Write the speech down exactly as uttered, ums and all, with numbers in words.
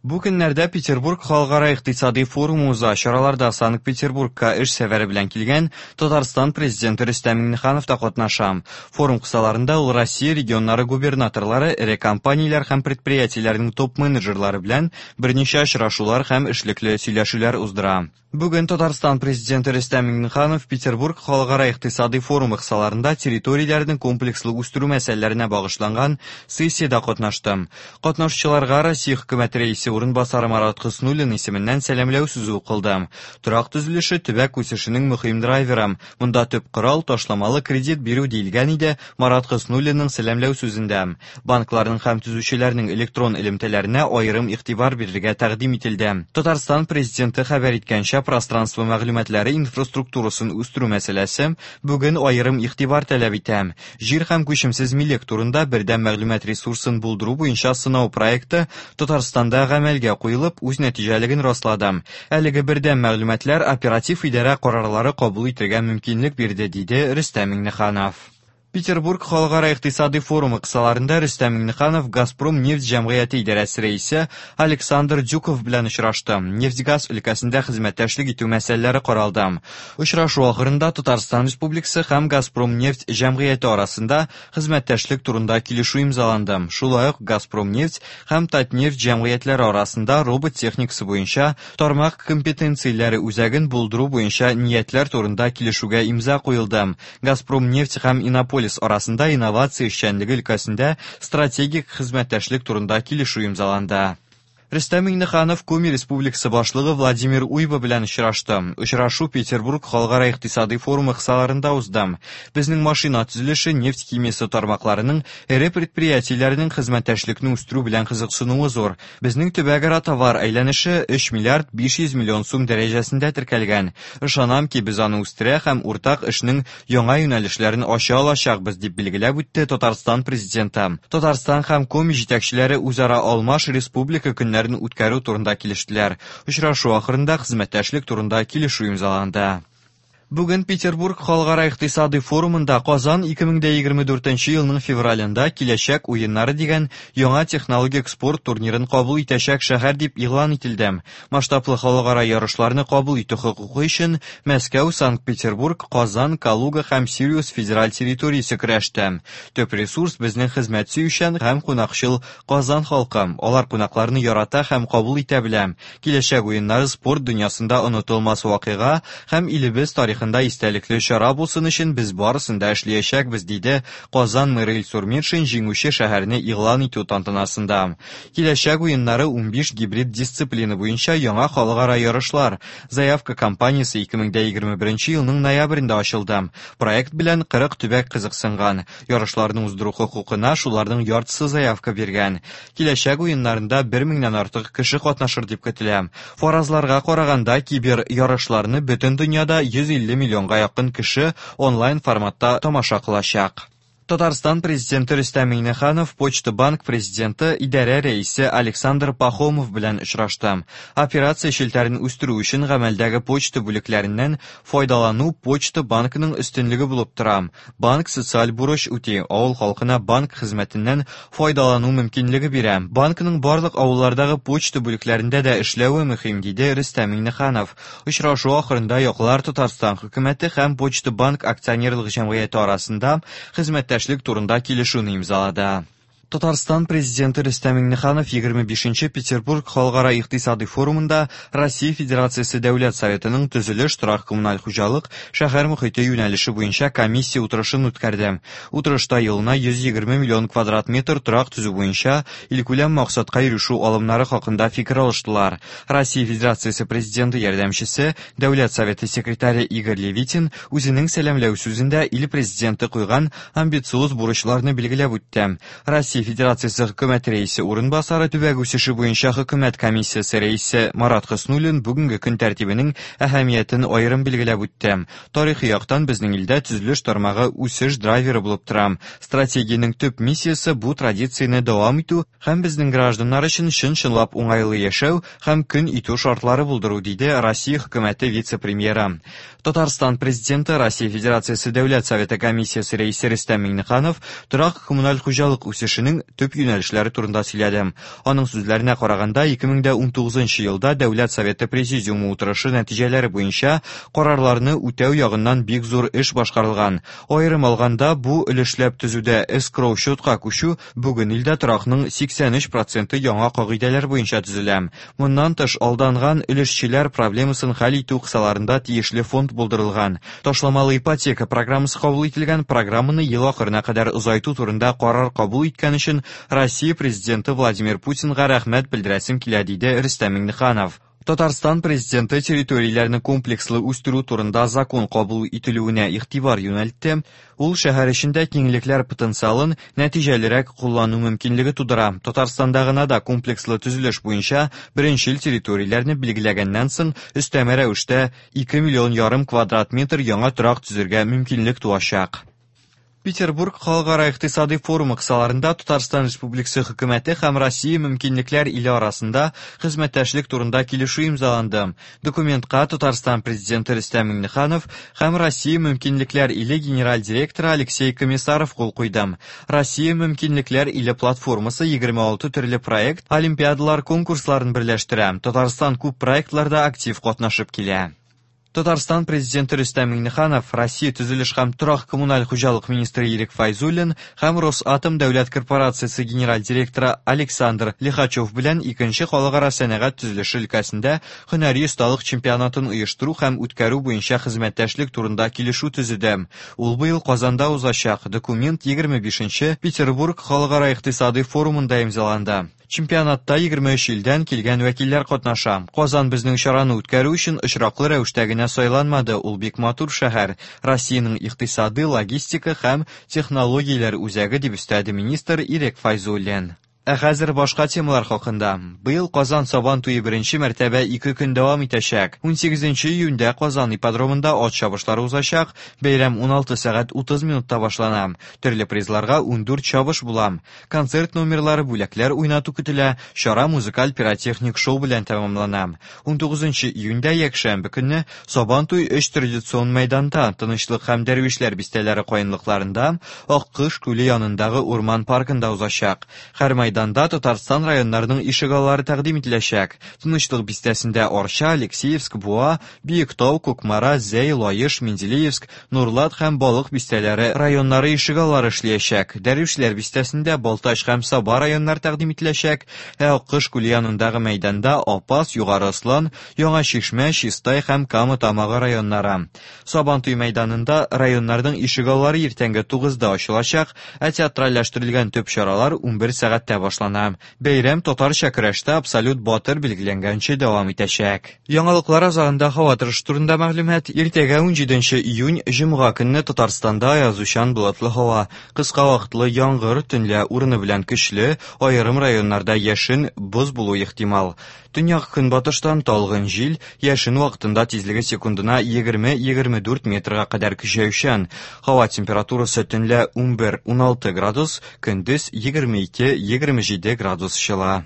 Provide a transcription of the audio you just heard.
Бу көннәрдә Петербург халыкара икътисади форумы уза. Чараларда Санкт-Петербургка эш сәфәре белән килгән Татарстан президенты Рөстәм Миңнеханов та катнаша. Форум кысаларында ул Россия регионнары губернаторлары, эре компанияләр һәм предприятиеләрнең топ-менеджерлары белән берничә очрашулар һәм эшлекле сөйләшүләр уздыра. Бүген Татарстан президенты Рөстәм Миңнеханов Петербург халыкара икътисади форумы кысаларында территорияләрне комплекслы үстерү мәсьәләләренә багышланган сессиядә катнашты. Катнашучыларга Россия хөкүмәте рәисе урынбасары Марат Хөснуллин исеменнән сәламләү сүзе укылды. Торак төзелеше төбәк үсешенең мөһим драйверы. Монда төп корал ташламалы кредит бирү диелгән иде Марат Хөснуллинның сәламләү сүзендә. Банкларның һәм төзүчеләрнең электрон элемтәләренә аерым игътибар бирергә тәкъдим ителде. Татарстан президенты хәбәр иткәнчә, пространство мәгълүматлары инфраструктурасын үстерү мәсьәләсе бүген аерым игътибар таләп итә. Җир һәм күчемсез милек турында бердәм мәгълүмат ресурсын булдыру буенча сынау проекты Татарстанда гамәлгә куелып, үз нәтиҗәлеген раслады. Әлеге бердәм мәгълүматлар оператив идарә карарлары кабул итәргә мөмкинлек бирде, диде Рөстәм Миңнеханов. Петербург халыкара икътисади форумы кысаларында Рөстәм Миңнеханов Газпром нефть җәмгыяте идарәсе рәисе Александр Дюков белән очрашты. Нефть-газ өлкәсендә хезмәттәшлек итү мәсьәләләре каралды. Очрашу ахырында Татарстан Республикасы һәм Газпром нефть җәмгыяте арасында хезмәттәшлек турында килешү имзаланды. Шулай ук Газпром нефть һәм Татнефть җәмгыятьләре арасында робот техникасы буенча тармак компетенцияләре үзәген булдыру буенча ниятләр турында килешүгә имза куелды. Газпром нефть һәм Иннополис арасында инновация эшчәнлеге өлкәсендә стратегик хезмәттәшлек турында килешү имзаланды. Рөстәм Миңнеханов Коми Республикасы башлыгы Владимир Уйба белән очрашты. Очрашу Петербург халыкара икътисади форумы кысаларында узды. Безнең машина төзелеше, нефть химиясе тармакларының эре предприятиеләренең хезмәттәшлекне үстерү белән кызыксынуы зур. Безнең төбәкара товар әйләнеше өч миллиард биш йөз миллион сум дәрәҗәсендә теркәлгән. Ышанам ки, без аны үстерә һәм уртак эшнең яңа юнәлешләрен ача алачакбыз, дип билгеләп үтте Татарстан президенты. Татарстан һәм Коми җитәкчеләре үзара алмаш республика көннәрен үткәрү турында килештеләр. Очрашу ахырында хезмәттәшлек турында килешү имзаланды. Бүген Петербург халыкара икътисади форумында Казан ике мең егерме дүртенче елның февралендә Киләчәк уеннары дигән яңа технологик спорт турнирын кабул итәчәк шәһәр дип игълан ителде. Масштаблы халыкара ярышларны кабул итү хокукы өчен Мәскәү, Санкт-Петербург, Казан, Калуга һәм Сириус федераль территориясе көрәште. Төп ресурс безнең хезмәт сөючән һәм кунакчыл Казан халкы. Алар кунакларны ярата һәм кабул итә белә. Киләчәк уеннары спорт дөньясында онытылмас вакыйга һәм илебез тарихында истәлекле чара булсын өчен без барысын да эшләячәкбез, диде Казан мэры Илсур Метшин җиңүче шәһәрне игълан итү тантанасында. Киләчәк уеннары унбиш гибрид дисциплина буенча яңа халыкара ярышлар. Заявка кампаниясе ике мең егерме беренче елның ноябрендә ачылды. Проект белән кырык төбәк кызыксынган. Ярышларны уздыру хокукына шуларның яртысы заявка биргән. Киләчәк уеннарында бер меңнән артык кеше катнашыр дип көтелә. Фаразларга караганда, кибер ярышларны бөтен дөньяда йөз илле миллионга якын кеше онлайн форматта тамаша кылачак. Татарстан президенты Рөстәм Миңнеханов Почта банк президенты идарә рәисе Александр Пахомов белән очрашты. Операция челтәрен үстерү өчен гамәлдәге почта бүлекләреннән файдалану Почта банкының өстенлеге булып тора. Банк социаль бурыч үти, авыл халкына банк хезмәтеннән файдалану мөмкинлеге бирә. Банкның барлык авыллардагы почта бүлекләрендә дә эшләве мөһим, диде Рөстәм Миңнеханов. Очрашу ахырында яклар Татарстан хөкүмәте һәм Почта банк акционерлык җәмгыяте арасында хезмәттәшлек турында килешүне имзалады. Татарстан президенты Рөстәм Миңнеханов егерме бишенче Петербург халыкара икътисади форумында Россия Федерациясе Дәүләт Советының төзелеш, торак коммуналь хуҗалык, шәһәр мөхите юнәлеше буенча комиссия утырышын үткәрде. Утырышта елына йөз егерме миллион квадрат метр торак төзү буенча илкүләм максатка ирешү алымнары хакында фикер алыштылар. Россия Федерациясе президенты ярдәмчесе, Дәүләт Советы секретаре Игорь Левитин үзенең сәламләү сүзендә ил президенты куйган амбициоз бурычларны билгеләп үтте. Россия Федерациясе хөкүмәт рәисе урынбасары, төбәк үсеше буенча хөкүмәт комиссиясе рәисе Марат Хөснуллин бүгенге көн тәртибенең әһәмиятен аерым билгеләп үтте. Тарихи яктан безнең илдә төзелеш тармагы үсеш драйверы булып тора. Стратегиянең төп миссиясе бу традицияне дәвам итү һәм безнең гражданнар өчен чын-чынлап уңайлы яшәү һәм көн итү шартлары булдыру, диде Россия хөкүмәте вице-премьеры. Татарстан президенты Россия Федерациясе Дәүләт Советы комиссиясе рәисе Рөстәм Миңнеханов торак коммуналь хуҗалык үсешенең эшенең төп юнәлешләре турында сөйләде. Аның сүзләренә караганда, ике мең дә унтугызынчы елда Дәүләт Советы Президиумы утырышы нәтиҗәләре буенча карарларны үтәү ягыннан бик зур эш башкарылган. Аерым алганда, бу өлешләп төзүдә эскроу счетка күчү бүген илдә торакның сиксән өч проценты яңа кагыйдәләр буенча төзелә. Моннан тыш, алданган өлешчеләр проблемасын хәл итү кысаларында тиешле фонд булдырылган. Ташламалы ипотека программасы кабул ителгән, программаны ел ахырына кадәр озайту турында карар кабул иткән өчен Россия президенты Владимир Путинга рәхмәт белдерәсем килә, диде Рөстәм Миңнеханов. Татарстан президенты территорияләрне комплекслы үстерү турында закон кабул ителүенә игътибар юнәлтте. Ул шәһәр эчендә киңлекләр потенциалын нәтиҗәлерәк куллану мөмкинлеге тудыра. Татарстанда гына да комплекслы төзелеш буенча беренчел территорияләрне билгеләгәннән соң өстәмә рәвештә ике миллион ярым квадрат метр яңа торак төзергә мөмкинлек туачак. Петербург халыкара икътисади форумы кысаларында Татарстан Республикасы хөкүмәте һәм Россия мөмкинлекләр иле арасында хезмәттәшлек турында килешү имзаланды. Документка Татарстан президенты Рөстәм Миңнеханов һәм Россия мөмкинлекләр иле генераль директоры Алексей Комиссаров кул куйды. Россия мөмкинлекләр иле платформасы егерме алты төрле проект, олимпиадалар конкурсларын берләштерә. Татарстан күп проектларда актив катнашып килә. Татарстан президенты Рөстәм Миңнеханов, Россия төзелеш һәм торак коммуналь хуҗалык министры Ирек Файзуллин һәм Росатом дәүләт корпорациясе генераль директоры Александр Лихачев белән икенче халыкара сәнәгать төзелеше өлкәсендә һөнәри осталык чемпионатын оештыру һәм үткәрү буенча хезмәттәшлек турында килешү төзеде. Ул быел Казанда узачак. Документ егерме бишенче Петербург халыкара икътисади форумында имзаланды. Чемпионатта егерме өч илдән килгән вәкилләр катнаша. Казан безнең чараны үткәрү өчен очраклы рәвештә генә сайланмады. Ул бик матур шәһәр. Россиянең икътисады, логистика һәм технологияләр үзәге дип өстәде министр Ирек Файзуллин. Ә хәзер башка темалар хакында. Быел Казан Сабан туе беренче мәртәбә ике көн дәвам итәчәк. Унсигезенче июньдә Казан ипподромында ат чабышлары узачак. Бәйрәм уналты сәгать утыз минутта башлана. Төрле призларга ундүрт чабыш була. Концерт номерлары, бүләкләр уйнату көтелә. Чара музыкаль пиротехник шоу белән тәмамлана. Унтугызынчы июньдә якшәмбе көнне Сабан туе өч традицион мәйданда, Тынычлык һәм Дәрвишләр бистәләре каенлыкларында, Аккош күле янындагы урман паркында узачак. Һәр мәйданда Татарстан районнарының ишегаллары тәкъдим ителәчәк. Тынычлык бистәсендә Арча, Алексеевск, Буа, Биектау, Кукмара, Зәй, Лаеш, Менделеевск, Нурлат һәм Балык бистәләре районнары ишегаллары эшләячәк. Дәрвишләр бистәсендә Балтач һәм Саба районнары тәкъдим ителәчәк. Ә Аккош күле янындагы мәйданда Апас, Югары Ослан, Яңа Чишмә, Чистай һәм Кама Тамагы районнары. Сабантуй мәйданында районнарның ишегаллары иртәнге тугызда ачылачак, ә театральләштерелгән төп чаралар унбер сәгатьтә башлана. Бәйрәм татарча көрәштә абсолют батыр билгеләнгәнче дәвам итәчәк. Яңалыклар азагында һава торышы турында мәгълүмат. Иртәгә унҗиденче июнь җомга көнне Татарстанда аязучан болытлы һава, кыска вакытлы яңгыр, төнлә урыны белән көчле, аерым районнарда яшен, боз булу ихтимал. Төньяк көнбатыштан талгын җил, яшен вакытында тизлеге секундына егерме-егерме дүрт метрга кадәр көчәючән. Һава температурасы төнлә унбер-уналты градус, көндез егерме ике-егерме җиде градус җылы.